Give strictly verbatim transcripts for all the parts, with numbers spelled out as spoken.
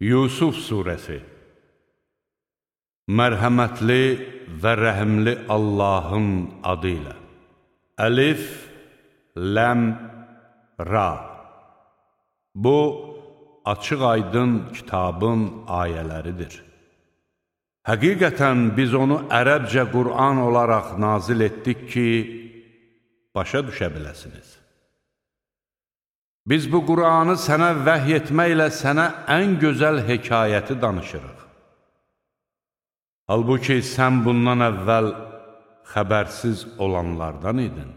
Yusuf Suresi. Mərhəmətli və rəhimli Allahın adı ilə. Əlif, Ləm, Ra. Bu, açıq aydın kitabın ayələridir. Həqiqətən biz onu ərəbcə Qur'an olaraq nazil etdik ki, başa düşə biləsiniz. Biz bu Qur'anı sənə vəhy etməklə sənə ən gözəl hekayəti danışırıq. Halbuki sən bundan əvvəl xəbərsiz olanlardan idin.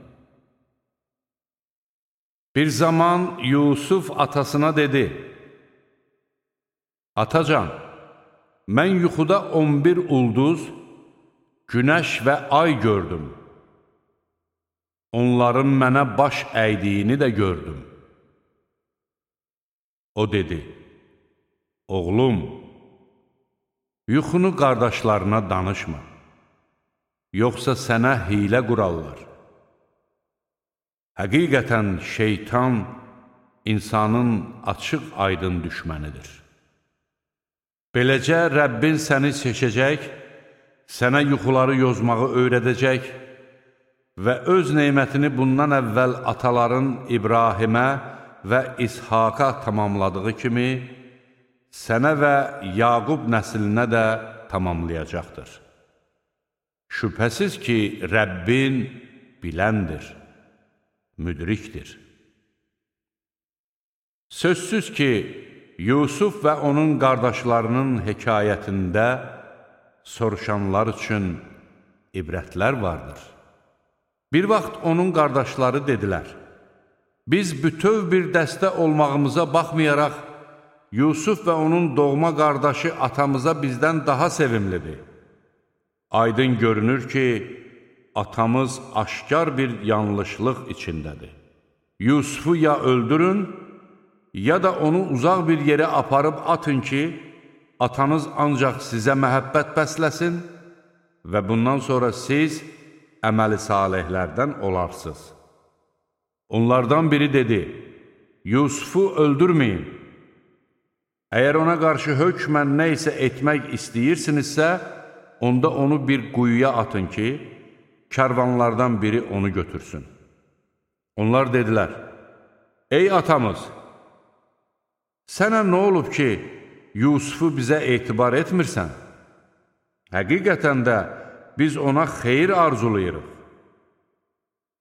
Bir zaman Yusuf atasına dedi: Atacan, mən yuxuda on bir ulduz, günəş və ay gördüm. Onların mənə baş əydiyini də gördüm. O dedi: Oğlum, yuxunu qardaşlarına danışma, yoxsa sənə hilə qurarlar. Həqiqətən şeytan insanın açıq aydın düşmənidir. Beləcə Rəbbin səni seçəcək, sənə yuxuları yozmağı öyrədəcək və öz neymətini bundan əvvəl ataların İbrahimə və İshaqa tamamladığı kimi, sənə və Yaqub nəslinə də tamamlayacaqdır. Şübhəsiz ki, Rəbbin biləndir, müdrikdir. Sözsüz ki, Yusuf və onun qardaşlarının hekayətində soruşanlar üçün ibrətlər vardır. Bir vaxt onun qardaşları dedilər: Biz bütöv bir dəstə olmağımıza baxmayaraq, Yusuf və onun doğma qardaşı atamıza bizdən daha sevimlidir. Aydın görünür ki, atamız aşkar bir yanlışlıq içindədir. Yusufu ya öldürün, ya da onu uzaq bir yerə aparıb atın ki, atanız ancaq sizə məhəbbət bəsləsin və bundan sonra siz əməli salihlərdən olarsınız. Onlardan biri dedi: Yusufu öldürməyin. Əgər ona qarşı hökmən nə isə etmək istəyirsinizsə, onda onu bir quyuya atın ki, kərvanlardan biri onu götürsün. Onlar dedilər: Ey atamız, sənə nə olub ki, Yusufu bizə etibar etmirsən? Həqiqətən də biz ona xeyir arzulayırıq.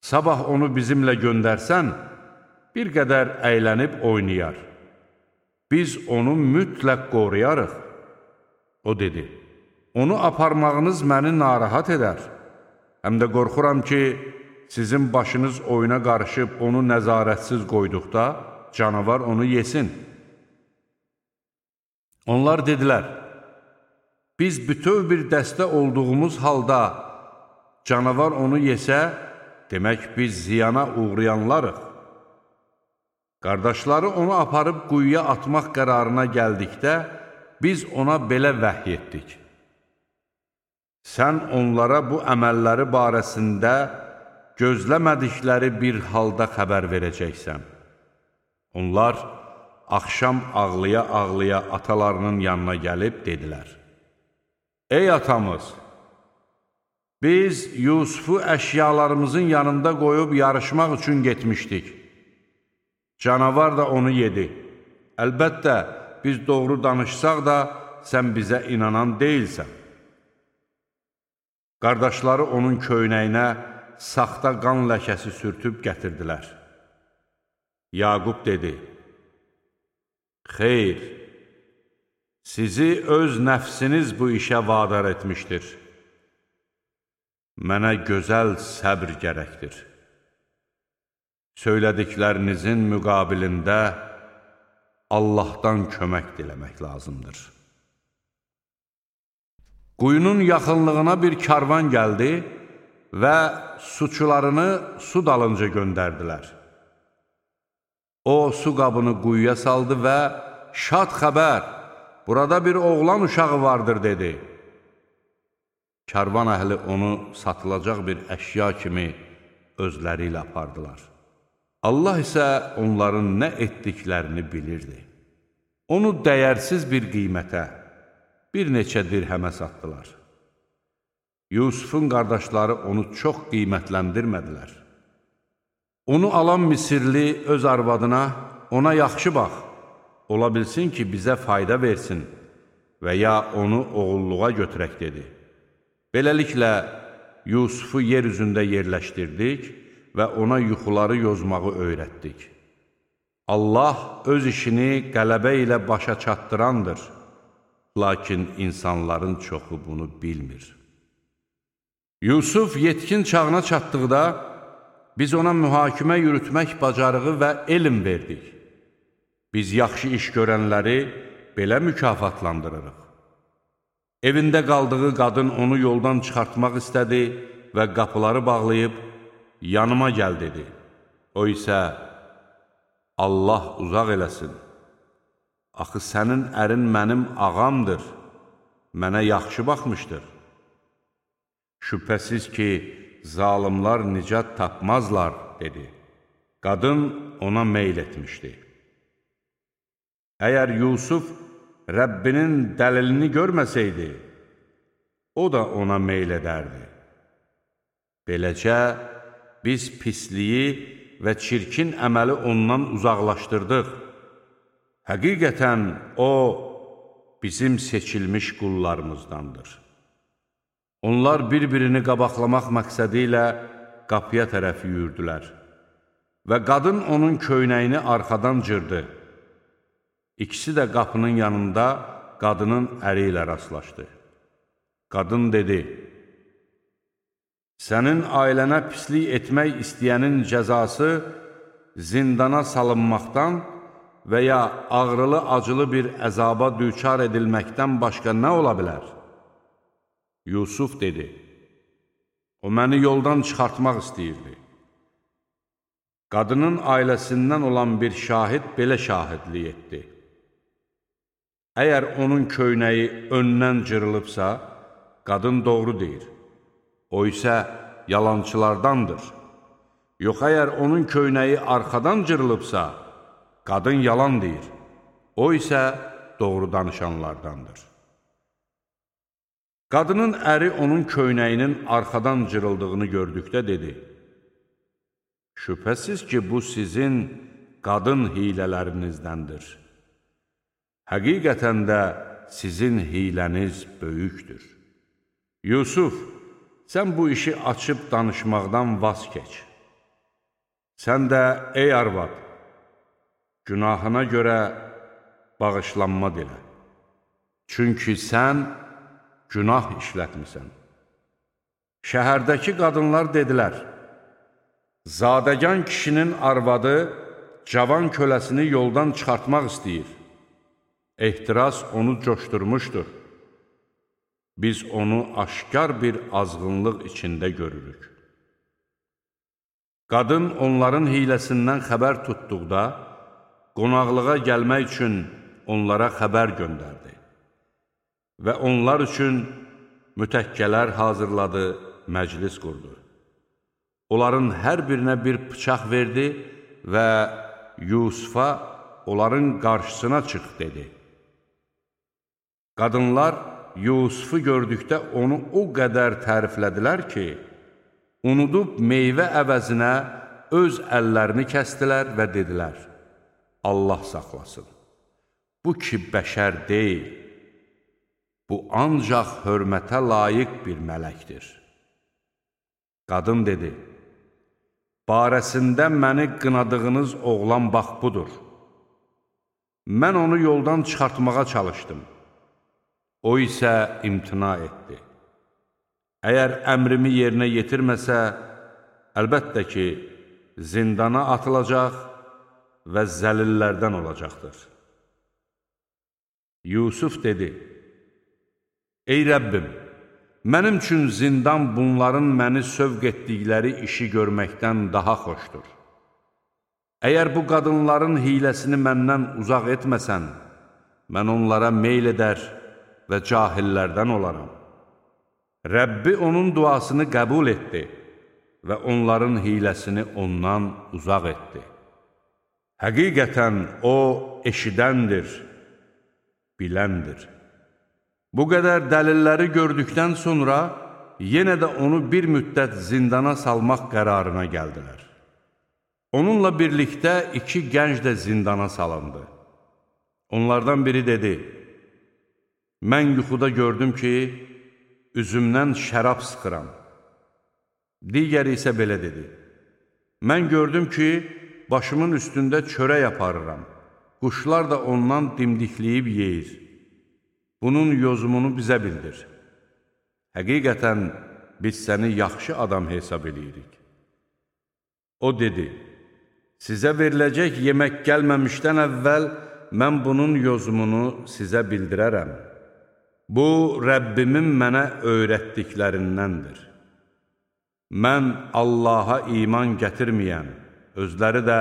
Sabah onu bizimlə göndərsən, bir qədər əylənib oynayar. Biz onu mütləq qoruyarıq. O dedi: Onu aparmağınız məni narahat edər. Həm də qorxuram ki, sizin başınız oyuna qarışıb onu nəzarətsiz qoyduqda canavar onu yesin. Onlar dedilər: Biz bütöv bir dəstə olduğumuz halda canavar onu yesə, demək biz ziyana uğrayanlarıq. Qardaşları onu aparıb quyuya atmaq qərarına gəldikdə, biz ona belə vəhy etdik: Sən onlara bu əməlləri barəsində gözləmədikləri bir halda xəbər verəcəksən. Onlar axşam ağlaya-ağlaya atalarının yanına gəlib dedilər: Ey atamız, biz Yusufu əşyalarımızın yanında qoyub yarışmaq üçün getmişdik. Canavar da onu yedi. Əlbəttə, biz doğru danışsaq da, sən bizə inanan deyilsən. Qardaşları onun köynəyinə saxta qan ləkəsi sürtüb gətirdilər. Yaqub dedi: Xeyr, sizi öz nəfsiniz bu işə vadar etmişdir. Mənə gözəl səbr gərəkdir. Söylədiklərinizin müqabilində Allahdan kömək diləmək lazımdır. Quyunun yaxınlığına bir karvan gəldi və suçularını su dalınca göndərdilər. O, su qabını quyuya saldı və şad xəbər, burada bir oğlan uşağı vardır, dedi. Karvan əhli onu satılacaq bir əşya kimi özləri ilə apardılar. Allah isə onların nə etdiklərini bilirdi. Onu dəyərsiz bir qiymətə, bir neçə dirhəmə satdılar. Yusufun qardaşları onu çox qiymətləndirmədilər. Onu alan Misirli öz arvadına, ona yaxşı bax, ola bilsin ki, bizə fayda versin və ya onu oğulluğa götürək dedi. Beləliklə, Yusufu yer üzündə yerləşdirdik və ona yuxuları yozmağı öyrətdik. Allah öz işini qələbə ilə başa çatdırandır, lakin insanların çoxu bunu bilmir. Yusuf yetkin çağına çatdıqda, biz ona mühakimə yürütmək bacarığı və elm verdik. Biz yaxşı iş görənləri belə mükafatlandırırıq. Evində qaldığı qadın onu yoldan çıxartmaq istədi və qapıları bağlayıb, yanıma gəl dedi. O isə, Allah uzaq eləsin. Axı sənin ərin mənim ağamdır, mənə yaxşı baxmışdır. Şübhəsiz ki, zalimlar nicat tapmazlar, dedi. Qadın ona meyl etmişdi. Əgər Yusuf Rəbbinin dəlilini görməsəydi, o da ona meyl edərdi. Beləcə, biz pisliyi və çirkin əməli ondan uzaqlaşdırdıq. Həqiqətən o, bizim seçilmiş qullarımızdandır. Onlar bir-birini qabaqlamaq məqsədi ilə qapıya tərəf yürüdülər və qadın onun köynəyini arxadan cırdı. İkisi də qapının yanında qadının əri ilə rastlaşdı. Qadın dedi, sənin ailənə pislik etmək istəyənin cəzası zindana salınmaqdan və ya ağrılı-acılı bir əzaba düçar edilməkdən başqa nə ola bilər? Yusuf dedi, o məni yoldan çıxartmaq istəyirdi. Qadının ailəsindən olan bir şahid belə şahidlik etdi. Əgər onun köynəyi öndən cırılıbsa, qadın doğru deyir. O isə yalançılardandır. Yox, əgər onun köynəyi arxadan cırılıbsa, qadın yalan deyir. O isə doğru danışanlardandır. Qadının əri onun köynəyinin arxadan cırıldığını gördükdə dedi, şübhəsiz ki, bu sizin qadın hilələrinіздəndir. Həqiqətən də sizin hiləniz böyükdür. Yusuf, sən bu işi açıb danışmaqdan vaz keç. Sən də, ey arvad, günahına görə bağışlanma dilə. Çünki sən günah işlətmisən. Şəhərdəki qadınlar dedilər, zadəgan kişinin arvadı cavan köləsini yoldan çıxartmaq istəyir. Ehtiras onu coşdurmuşdur. Biz onu aşkar bir azğınlıq içində görürük. Qadın onların hiləsindən xəbər tutduqda, qonaqlığa gəlmək üçün onlara xəbər göndərdi və onlar üçün mütəkkələr hazırladı, məclis qurdu. Onların hər birinə bir bıçaq verdi və Yusufa onların qarşısına çıx dedi. Qadınlar Yusufu gördükdə onu o qədər təriflədilər ki, unudub meyvə əvəzinə öz əllərini kəstilər və dedilər, Allah saxlasın, bu ki bəşər deyil, bu ancaq hörmətə layiq bir mələkdir. Qadın dedi, barəsində məni qınadığınız oğlan bax budur. Mən onu yoldan çıxartmağa çalışdım. O isə imtina etdi. Əgər əmrimi yerinə yetirməsə, əlbəttə ki, zindana atılacaq və zəlillərdən olacaqdır. Yusuf dedi, ey Rəbbim, mənim üçün zindan bunların məni sövq etdikləri işi görməkdən daha xoşdur. Əgər bu qadınların hiləsini məndən uzaq etməsən, mən onlara meyl edər və cahillərdən olaram. Rəbbi onun duasını qəbul etdi və onların hiləsini ondan uzaq etdi. Həqiqətən o eşidəndir, biləndir. Bu qədər dəlilləri gördükdən sonra yenə də onu bir müddət zindana salmaq qərarına gəldilər. Onunla birlikdə iki gənc də zindana salındı. Onlardan biri dedi, mən yuxuda gördüm ki, üzümdən şərab sıxıram. Digəri isə belə dedi, mən gördüm ki, başımın üstündə çörək aparıram. Quşlar da ondan dimdikləyib yeyir. Bunun yozumunu bizə bildir. Həqiqətən biz səni yaxşı adam hesab edirik. O dedi, sizə veriləcək yemək gəlməmişdən əvvəl mən bunun yozumunu sizə bildirərəm. Bu, Rəbbimin mənə öyrətdiklərindəndir. Mən Allaha iman gətirməyən, özləri də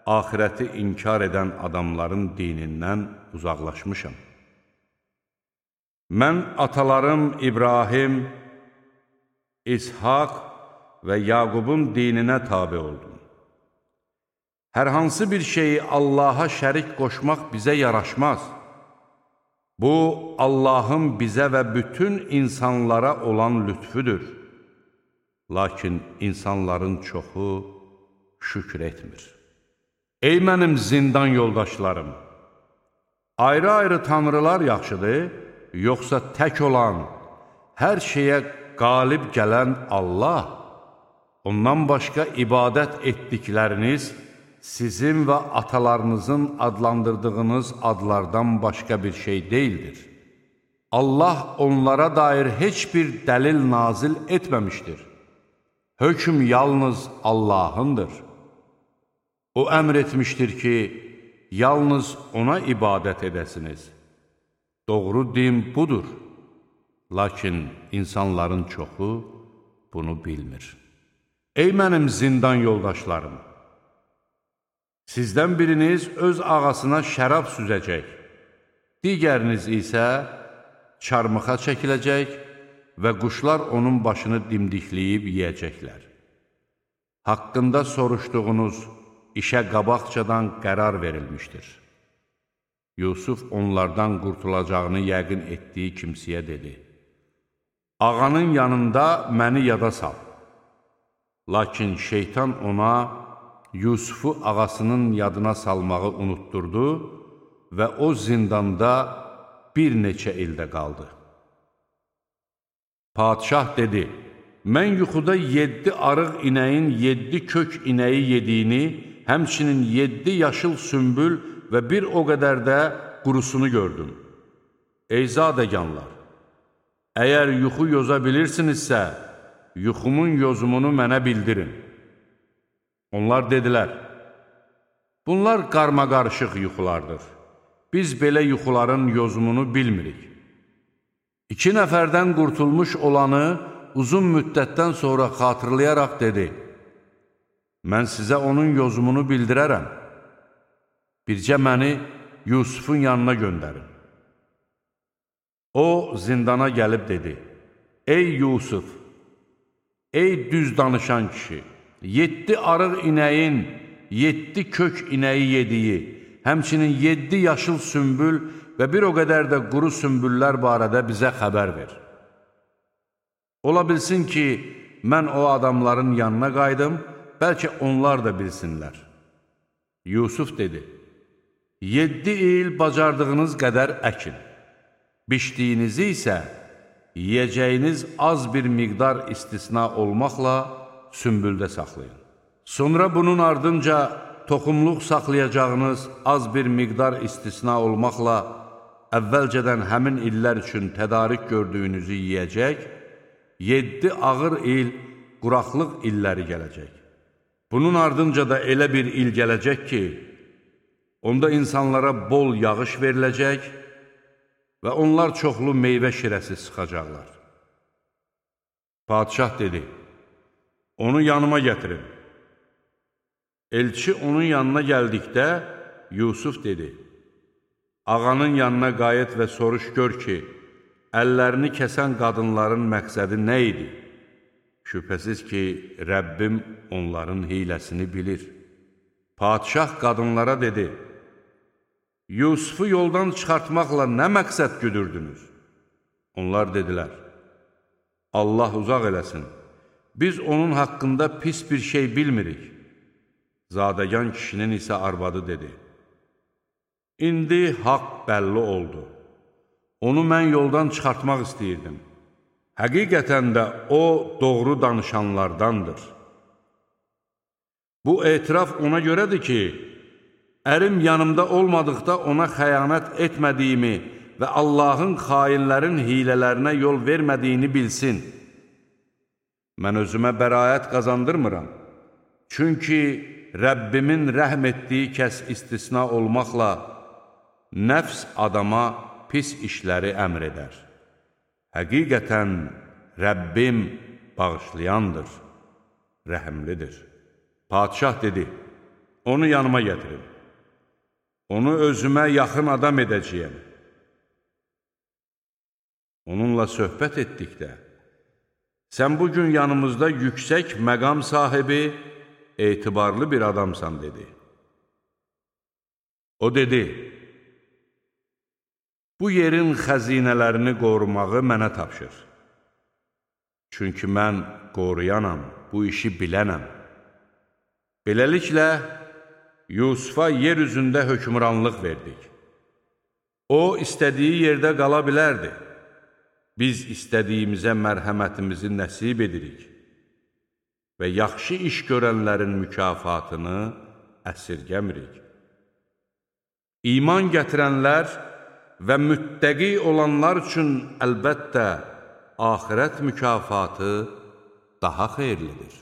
axirəti inkar edən adamların dinindən uzaqlaşmışam. Mən atalarım İbrahim, İshak və Yaqubun dininə tabi oldum. Hər hansı bir şeyi Allaha şərik qoşmaq bizə yaraşmaz. Bu, Allahın bizə və bütün insanlara olan lütfüdür. Lakin insanların çoxu şükür etmir. Ey mənim zindan yoldaşlarım! Ayrı-ayrı tanrılar yaxşıdır, yoxsa tək olan, hər şeyə qalib gələn Allah, ondan başqa ibadət etdikləriniz sizin və atalarınızın adlandırdığınız adlardan başqa bir şey deyildir. Allah onlara dair heç bir dəlil nazil etməmişdir. Hökm yalnız Allahındır. O əmr etmişdir ki, yalnız ona ibadət edəsiniz. Doğru din budur. Lakin insanların çoxu bunu bilmir. Ey mənim zindan yoldaşlarım! Sizdən biriniz öz ağasına şərab süzəcək, digəriniz isə çarmıxa çəkiləcək və quşlar onun başını dimdikləyib yeyəcəklər. Haqqında soruşduğunuz işə qabaqcadan qərar verilmişdir. Yusuf onlardan qurtulacağını yəqin etdiyi kimsəyə dedi, ağanın yanında məni yada sal. Lakin şeytan ona Yusufu ağasının yadına salmağı unutturdu və o zindanda bir neçə ildə qaldı. Padişah dedi, mən yuxuda yeddi arıq inəyin yeddi kök inəyi yediyini, həmçinin yeddi yaşıl sümbül və bir o qədər də qurusunu gördüm. Ey zadəganlar, əgər yuxu yoza bilirsinizsə, yuxumun yozumunu mənə bildirin. Onlar dedilər, bunlar qarmaqarışıq yuxulardır. Biz belə yuxuların yozumunu bilmirik. İki nəfərdən qurtulmuş olanı uzun müddətdən sonra xatırlayaraq dedi, mən sizə onun yozumunu bildirərəm. Bircə məni Yusufun yanına göndərin. O, zindana gəlib dedi, ey Yusuf, ey düz danışan kişi, yeddi arıq inəyin, yeddi kök inəyi yediyi, həmçinin yeddi yaşıl sümbül və bir o qədər də quru sümbüllər barədə bizə xəbər ver. Ola bilsin ki, mən o adamların yanına qaydım, bəlkə onlar da bilsinlər. Yusuf dedi, yeddi il bacardığınız qədər əkin, biçdiyinizi isə yiyəcəyiniz az bir miqdar istisna olmaqla sümbüldə saxlayın. Sonra bunun ardınca toxumluq saxlayacağınız az bir miqdar istisna olmaqla əvvəlcədən həmin illər üçün tədarik gördüyünüzü yiyəcək, yeddi ağır il quraqlıq illəri gələcək. Bunun ardınca da elə bir il gələcək ki, onda insanlara bol yağış veriləcək və onlar çoxlu meyvə şirəsi sıxacaqlar. Padişah dedi, onu yanıma gətirin. Elçi onun yanına gəldikdə, Yusuf dedi, ağanın yanına qayıt və soruş gör ki, əllərini kəsən qadınların məqsədi nə idi? Şübhəsiz ki, Rəbbim onların hiləsini bilir. Padişah qadınlara dedi, Yusufu yoldan çıxartmaqla nə məqsəd güdürdünüz? Onlar dedilər, Allah uzaq eləsin, biz onun haqqında pis bir şey bilmirik. Zadəgan kişinin isə arvadı dedi, İndi haqq bəlli oldu, onu mən yoldan çıxartmaq istəyirdim. Həqiqətən də o doğru danışanlardandır. Bu etiraf ona görədir ki, ərim yanımda olmadıqda ona xəyanət etmədiyimi və Allahın xainlərin hilələrinə yol vermədiyini bilsin. Mən özümə bəraət qazandırmıram. Çünki Rəbbimin rəhm etdiyi kəs istisna olmaqla nəfs adama pis işləri əmr edər. Həqiqətən Rəbbim bağışlayandır, rəhimlidir. Padişah dedi, onu yanıma gətirin. Onu özümə yaxın adam edəcəyəm. Onunla söhbət etdikdə, sən bugün yanımızda yüksək məqam sahibi, etibarlı bir adamsan, dedi. O dedi, bu yerin xəzinələrini qorumağı mənə tapşır. Çünki mən qoruyanam, bu işi bilənəm. Beləliklə, Yusufa yer üzündə hökmranlıq verdik. O, istədiyi yerdə qala bilərdi. Biz istədiyimizə mərhəmətimizi nəsib edirik və yaxşı iş görənlərin mükafatını əsirgəmirik. İman gətirənlər və müttəqi olanlar üçün əlbəttə axirət mükafatı daha xeyirlidir.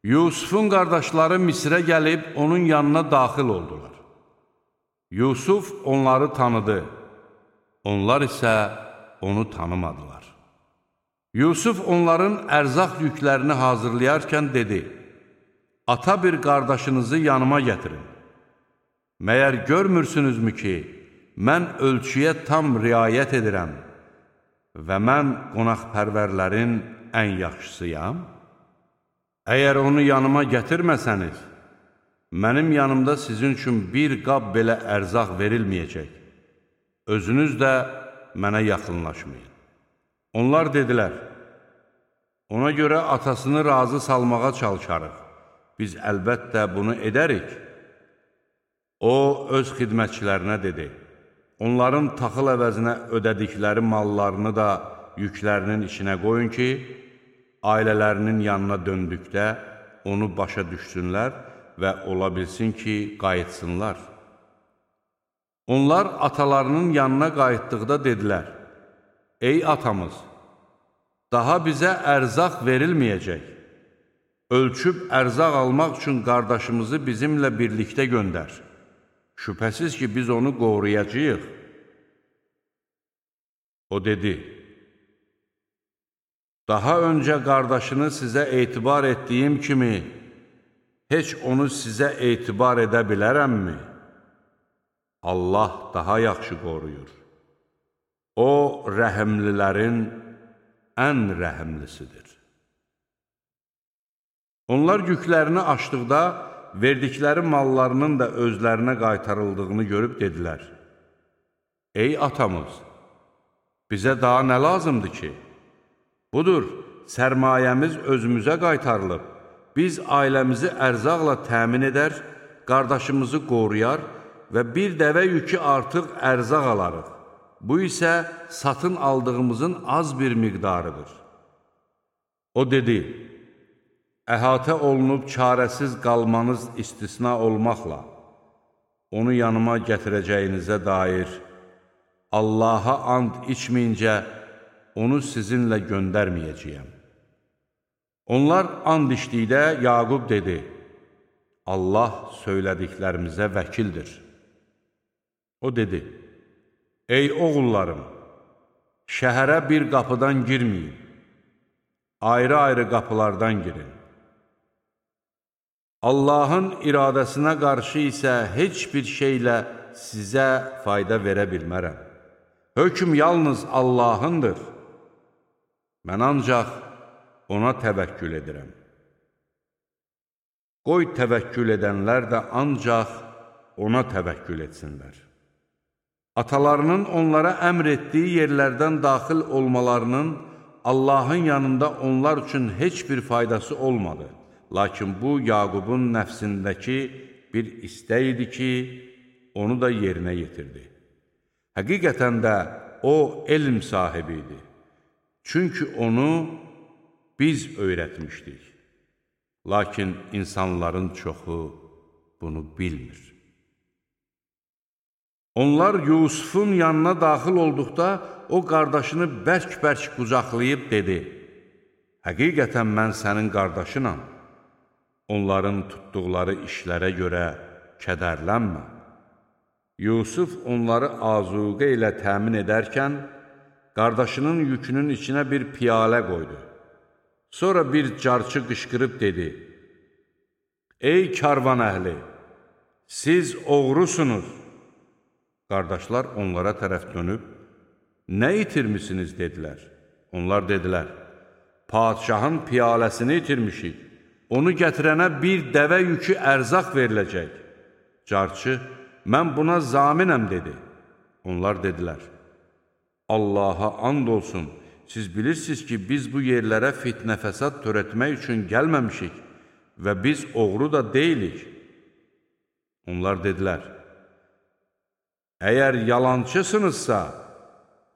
Yusufun qardaşları Misrə gəlib onun yanına daxil oldular. Yusuf onları tanıdı, onlar isə onu tanımadılar. Yusuf onların ərzaq yüklərini hazırlayarkən dedi, ata bir qardaşınızı yanıma gətirin. Məyər görmürsünüzmü ki, mən ölçüyə tam riayət edirəm və mən qonaqpərvərlərin ən yaxşısıyam? Əgər onu yanıma gətirməsəniz, mənim yanımda sizin üçün bir qab belə ərzaq verilməyəcək. Özünüz də mənə yaxınlaşmayın. Onlar dedilər, ona görə atasını razı salmağa çalışarıq. Biz əlbəttə bunu edərik. O, öz xidmətçilərinə dedi, onların taxıl əvəzinə ödədikləri mallarını da yüklərinin içinə qoyun ki, ailələrinin yanına döndükdə onu başa düşsünlər və ola bilsin ki, qayıtsınlar. Onlar atalarının yanına qayıtdıqda dedilər, ey atamız, daha bizə ərzaq verilməyəcək. Ölçüb ərzaq almaq üçün qardaşımızı bizimlə birlikdə göndər. Şübhəsiz ki, biz onu qoruyacağıq. O dedi, daha öncə qardaşını sizə etibar etdiyim kimi, heç onu sizə etibar edə bilərəmmi? Allah daha yaxşı qoruyur. O, rəhimlilərin ən rəhimlisidir. Onlar yüklərini açdıqda, verdikləri mallarının da özlərinə qaytarıldığını görüb dedilər, ey atamız, bizə daha nə lazımdır ki? Budur, sərmayəmiz özümüzə qaytarılıb, biz ailəmizi ərzaqla təmin edər, qardaşımızı qoruyar və bir dəvə yükü artıq ərzaq alarıq. Bu isə satın aldığımızın az bir miqdarıdır. O dedi, əhatə olunub çarəsiz qalmanız istisna olmaqla, onu yanıma gətirəcəyinizə dair Allaha and içməyincə, onu sizinlə göndərməyəcəyəm. Onlar and içdikdə Yaqub dedi, Allah söylədiklərimizə vəkildir. O dedi, ey oğullarım, şəhərə bir qapıdan girməyin, ayrı-ayrı qapılardan girin. Allahın iradəsinə qarşı isə heç bir şeylə sizə fayda verə bilmərəm. Hökm yalnız Allahındır. Mən ancaq ona təvəkkül edirəm. Qoy təvəkkül edənlər də ancaq ona təvəkkül etsinlər. Atalarının onlara əmr etdiyi yerlərdən daxil olmalarının Allahın yanında onlar üçün heç bir faydası olmadı. Lakin bu, Yaqubun nəfsindəki bir istək idi ki, onu da yerinə yetirdi. Həqiqətən də o, elm sahibi idi. Çünki onu biz öyrətmişdik. Lakin insanların çoxu bunu bilmir. Onlar Yusufun yanına daxil olduqda, o qardaşını bərk-bərk qucaqlayıb dedi, həqiqətən mən sənin qardaşınam, onların tutduqları işlərə görə kədərlənmə. Yusuf onları azuqə ilə təmin edərkən, qardaşının yükünün içinə bir piyalə qoydu. Sonra bir carçı qışqırıb dedi, ey karvan əhli, siz oğrusunuz. Qardaşlar onlara tərəf dönüb, nə itirmisiniz, dedilər. Onlar dedilər, padişahın piyaləsini itirmişik, onu gətirənə bir dəvə yükü ərzaq veriləcək. Carçı, mən buna zaminəm, dedi. Onlar dedilər, Allaha and olsun, siz bilirsiniz ki, biz bu yerlərə fitnə fəsad törətmək üçün gəlməmişik və biz oğru da deyilik. Onlar dedilər, əgər yalancısınızsa,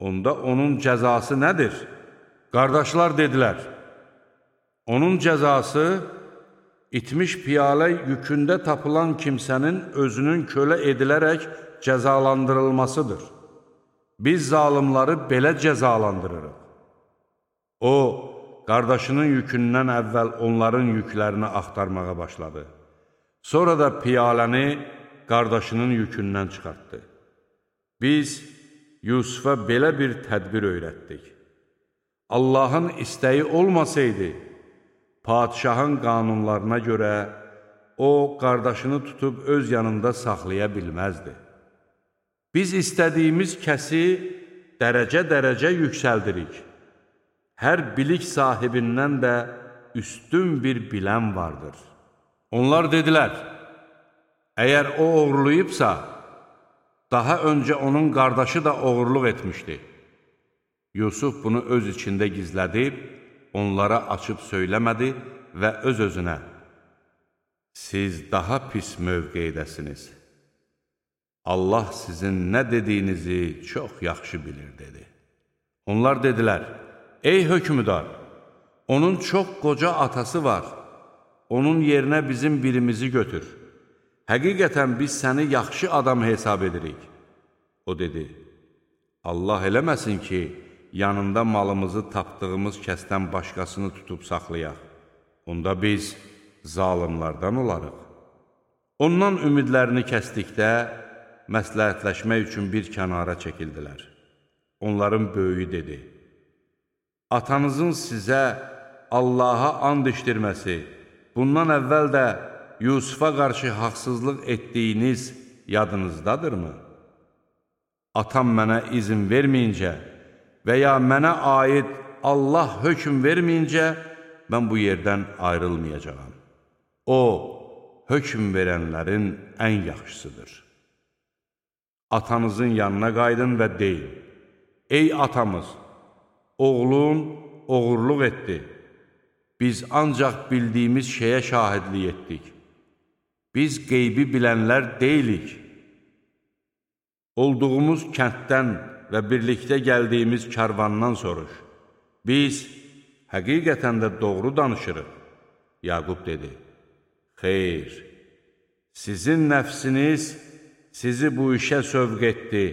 onda onun cəzası nədir? Qardaşlar dedilər, onun cəzası itmiş piyalə yükündə tapılan kimsənin özünün kölə edilərək cəzalandırılmasıdır. Biz zalimları belə cəzalandırırıq. O, qardaşının yükündən əvvəl onların yüklərini axtarmağa başladı. Sonra da piyaləni qardaşının yükündən çıxartdı. Biz Yusufa belə bir tədbir öyrətdik. Allahın istəyi olmasaydı, padişahın qanunlarına görə o, qardaşını tutub öz yanında saxlaya bilməzdi. Biz istədiyimiz kəsi dərəcə-dərəcə yüksəldirik. Hər bilik sahibindən də üstün bir bilən vardır. Onlar dedilər, əgər o oğurlayıbsa, daha öncə onun qardaşı da oğurluq etmişdi. Yusuf bunu öz içində gizlədib, onlara açıb söyləmədi və öz-özünə, siz daha pis mövqeydəsiniz. Allah sizin nə dediyinizi çox yaxşı bilir, dedi. Onlar dedilər, ey hökmüdar, onun çox qoca atası var, onun yerinə bizim birimizi götür. Həqiqətən biz səni yaxşı adam hesab edirik. O dedi, Allah eləməsin ki, yanında malımızı tapdığımız kəsdən başqasını tutub saxlayaq. Onda biz zalimlardan olarıq. Ondan ümidlərini kəsdikdə, məsləhətləşmək üçün bir kənara çəkildilər. Onların böyüyü dedi, atanızın sizə Allaha and içdirməsi, bundan əvvəl də Yusufa qarşı haqsızlıq etdiyiniz yadınızdadırmı? Atam mənə izin verməyincə və ya mənə aid Allah hökm verməyincə mən bu yerdən ayrılmayacağam. O, hökm verənlərin ən yaxşısıdır. Atanızın yanına qaydın və deyin, ey atamız, oğlun oğurluq etdi. Biz ancaq bildiyimiz şeyə şahidlik etdik. Biz qeybi bilənlər deyilik. Olduğumuz kənddən və birlikdə gəldiyimiz karvandan soruş. Biz həqiqətən də doğru danışırıq. Yaqub dedi, xeyr, sizin nəfsiniz sizi bu işə sövq etdi,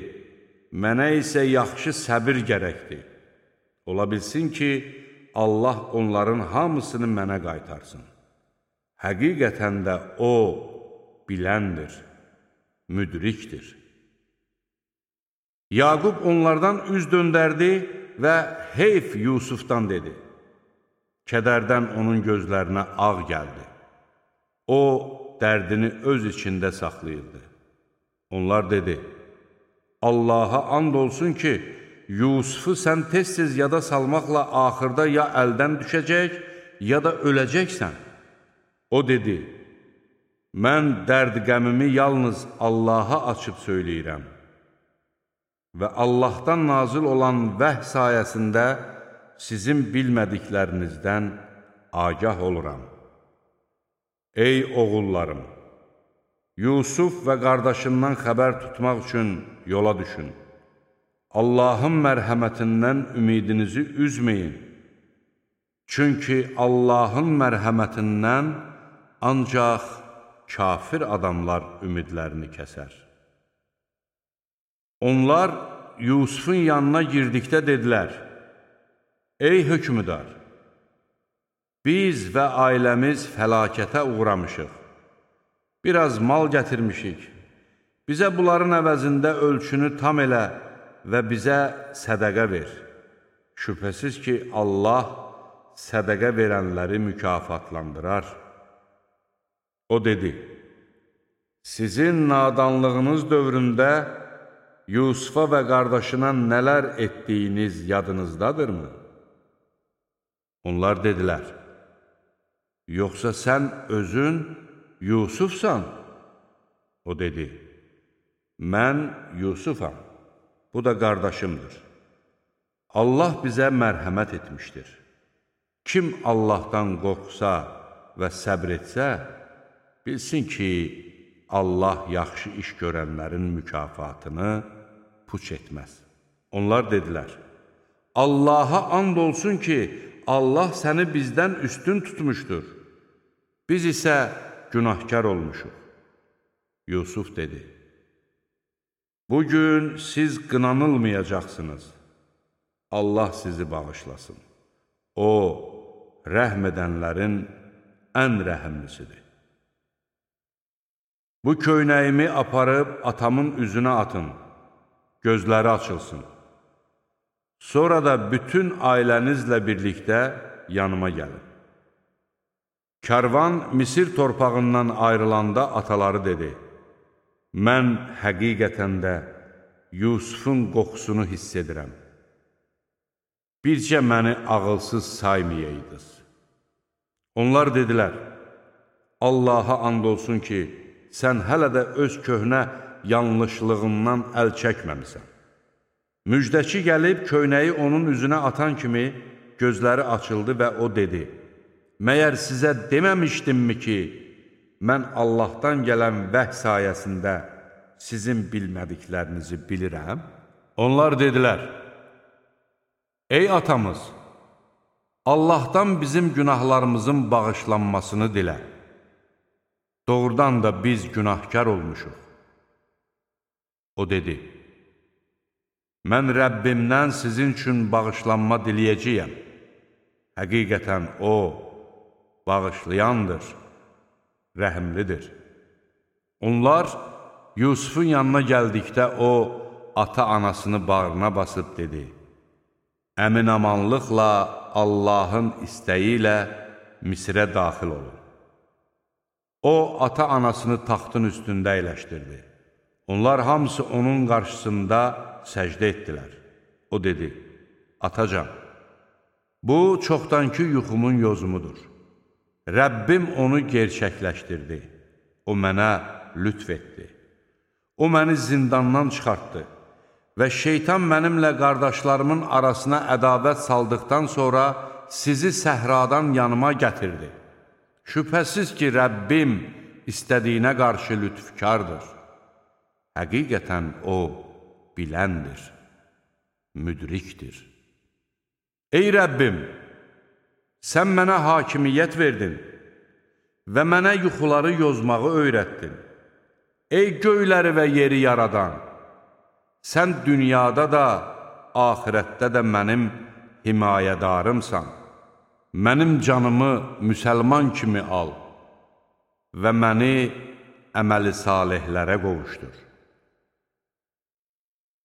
mənə isə yaxşı səbir gərəkdir. Ola bilsin ki, Allah onların hamısını mənə qaytarsın. Həqiqətən də O, biləndir, müdrikdir. Yaqub onlardan üz döndərdi və heyf Yusufdan dedi. Kədərdən onun gözlərinə ağ gəldi. O, dərdini öz içində saxlayırdı. Onlar dedi, Allaha and olsun ki, Yusufu sən tez-tez yada salmaqla axırda ya əldən düşəcək, ya da öləcəksən. O dedi, mən dərd qəmimi yalnız Allaha açıb söyləyirəm. və Allahdan nazil olan vəh sayəsində sizin bilmədiklərinizdən agah oluram. Ey oğullarım! Yusuf və qardaşından xəbər tutmaq üçün yola düşün. Allahın mərhəmətindən ümidinizi üzməyin. Çünki Allahın mərhəmətindən ancaq kafir adamlar ümidlərini kəsər. Onlar Yusufun yanına girdikdə dedilər: Ey hökmüdar! Biz və ailəmiz fəlakətə uğramışıq. Biraz mal gətirmişik. Bizə bunların əvəzində ölçünü tam elə və bizə sədəqə ver. Şübhəsiz ki, Allah sədəqə verənləri mükafatlandırar. O dedi: Sizin nadanlığınız dövründə Yusufa və qardaşına nələr etdiyiniz yadınızdadırmı? Onlar dedilər: Yoxsa sən özün Yusufsan? O dedi: Mən Yusufam, bu da qardaşımdır. Allah bizə mərhəmət etmişdir. Kim Allahdan qorxsa və səbr etsə, bilsin ki, Allah yaxşı iş görənlərin mükafatını puç etməz. Onlar dedilər: Allaha and olsun ki, Allah səni bizdən üstün tutmuşdur. Biz isə günahkar olmuşuq. Yusuf dedi: Bugün siz qınanılmayacaqsınız. Allah sizi bağışlasın. O, rəhm edənlərin ən rəhimlisidir. Bu köynəyimi aparıb atamın üzünə atın, gözləri açılsın. Sonra da bütün ailənizlə birlikdə yanıma gəlin. Kərvan Misir torpağından ayrılanda ataları dedi: Mən həqiqətən də Yusufun qoxusunu hiss edirəm. Bircə məni ağılsız saymayaydınız. Onlar dedilər: Allaha and olsun ki, sən hələ də öz köhnə yanlışlığından əl çəkməmisən. Müjdəçi gəlib köynəyi onun üzünə atan kimi gözləri açıldı və o dedi: Məyər sizə deməmişdimmi ki, mən Allahdan gələn vəh sayəsində sizin bilmədiklərinizi bilirəm? Onlar dedilər: Ey atamız, Allahdan bizim günahlarımızın bağışlanmasını dilə. Doğrudan da biz günahkar olmuşuq. O dedi: Mən Rəbbimdən sizin üçün bağışlanma diləyəcəyəm. Həqiqətən O, bağışlayandır, rəhimlidir. Onlar Yusufun yanına gəldikdə o, ata-anasını bağrına basıb dedi: Əmin-amanlıqla Allahın istəyi ilə Misrə daxil olun. O, ata-anasını taxtın üstündə əyləşdirdi. Onlar hamısı onun qarşısında səcdə etdilər. O dedi: Atacan, bu çoxdankı yuxumun yozumudur. Rəbbim onu gerçəkləşdirdi. O mənə lütf etdi. O məni zindandan çıxartdı və şeytan mənimlə qardaşlarımın arasına ədavət saldıqdan sonra sizi səhradan yanıma gətirdi. Şübhəsiz ki, Rəbbim istədiyinə qarşı lütfkardır. Həqiqətən O, biləndir, müdrikdir. Ey Rəbbim, sən mənə hakimiyyət verdin və mənə yuxuları yozmağı öyrətdin. Ey göyləri və yeri yaradan, sən dünyada da, axirətdə də mənim himayədarımsan. Mənim canımı müsəlman kimi al və məni əməli salihlərə qovuşdur.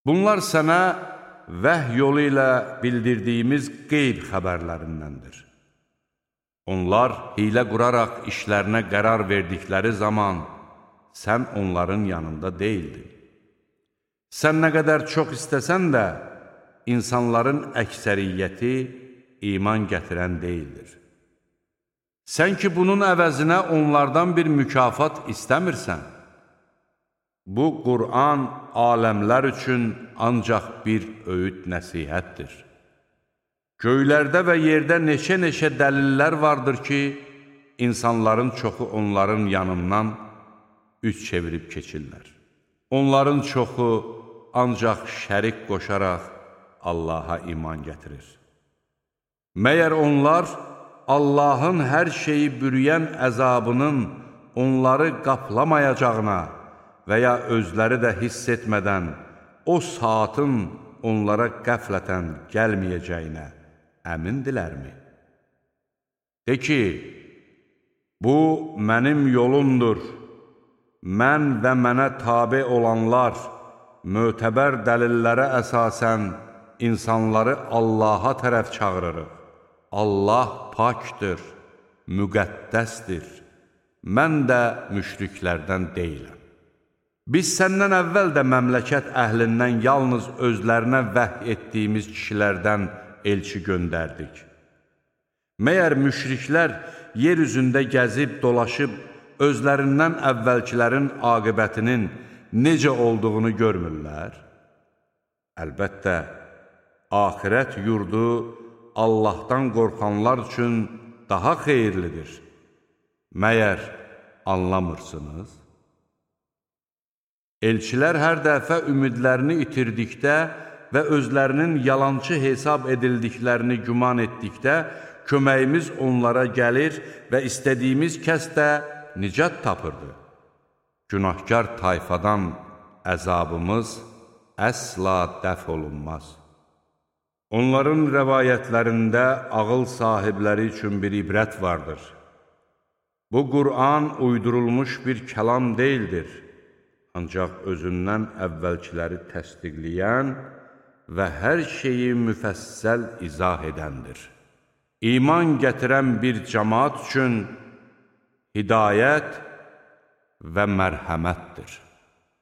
Bunlar sənə vəhy yolu ilə bildirdiyimiz qeyb xəbərlərindəndir. Onlar hilə quraraq işlərinə qərar verdikləri zaman sən onların yanında deyildin. Sən nə qədər çox istəsən də, insanların əksəriyyəti iman gətirən deyildir. Sən ki, bunun əvəzinə onlardan bir mükafat istəmirsən, Bu Qur'an aləmlər üçün ancaq bir öyüd nəsihətdir. Göylərdə və yerdə neçə-neçə dəlillər vardır ki, insanların çoxu onların yanından üz çevirib keçirlər. Onların çoxu ancaq şərik qoşaraq Allaha iman gətirir. Məyər onlar Allahın hər şeyi bürüyən əzabının onları qaplamayacağına və ya özləri də hiss etmədən o saatın onlara qəflətən gəlməyəcəyinə əmindilərmi? De ki, bu mənim yolumdur, mən və mənə tabe olanlar mötəbər dəlillərə əsasən insanları Allaha tərəf çağırırıq. Allah pakdır, müqəddəsdir, mən də müşriklərdən deyiləm. Biz səndən əvvəl də məmləkət əhlindən yalnız özlərinə vəhy etdiyimiz kişilərdən elçi göndərdik. Məyər müşriklər yer üzündə gəzib, dolaşıb, özlərindən əvvəlkilərin aqibətinin necə olduğunu görmürlər? Əlbəttə, axirət yurdu Allahdan qorxanlar üçün daha xeyirlidir. Məyər anlamırsınız? Elçilər hər dəfə ümidlərini itirdikdə və özlərinin yalançı hesab edildiklərini güman etdikdə, köməyimiz onlara gəlir və istədiyimiz kəs də nicat tapırdı. Günahkar tayfadan əzabımız əsla dəf olunmaz. Onların rəvayətlərində ağıl sahibləri üçün bir ibrət vardır. Bu Qur'an uydurulmuş bir kəlam deyildir, ancaq özündən əvvəlkiləri təsdiqləyən və hər şeyi müfəssəl izah edəndir. İman gətirən bir cəmaat üçün hidayət və mərhəmətdir.